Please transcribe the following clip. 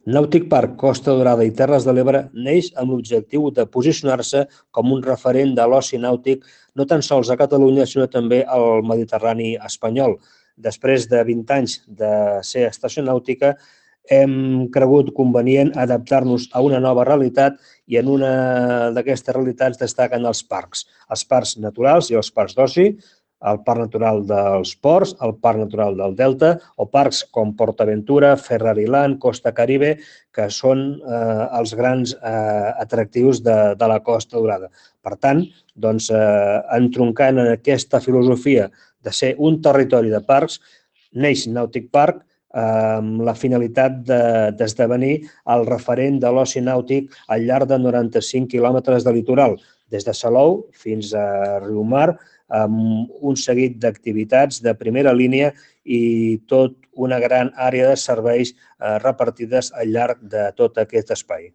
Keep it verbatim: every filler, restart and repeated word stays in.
Nàutic Park Costa Daurada i Terres de l'Ebre neix amb l'objectiu de posicionar-se com un referent de l'oci nàutic no tan sols a Catalunya, sinó també al Mediterrani espanyol. Després de vint anys de ser estació nàutica, hem cregut convenient adaptar-nos a una nova realitat i en una d'aquestes realitats destaquen els parcs. Els parcs naturals i els parcs d'oci, el Parc Natural dels Ports, el Parc Natural del Delta o parcs com PortAventura, Ferrariland, Costa Caribe, que són eh, els grans eh, atractius de, de la Costa Daurada. Per tant, doncs, eh, entroncant en aquesta filosofia de ser un territori de parcs, neix Nàutic Park amb la finalitat d'esdevenir el referent de l'oci nàutic al llarg de noranta-cinc quilòmetres de litoral, des de Salou fins a Riumar, amb un seguit d'activitats de primera línia i tot una gran àrea de serveis repartides al llarg de tot aquest espai.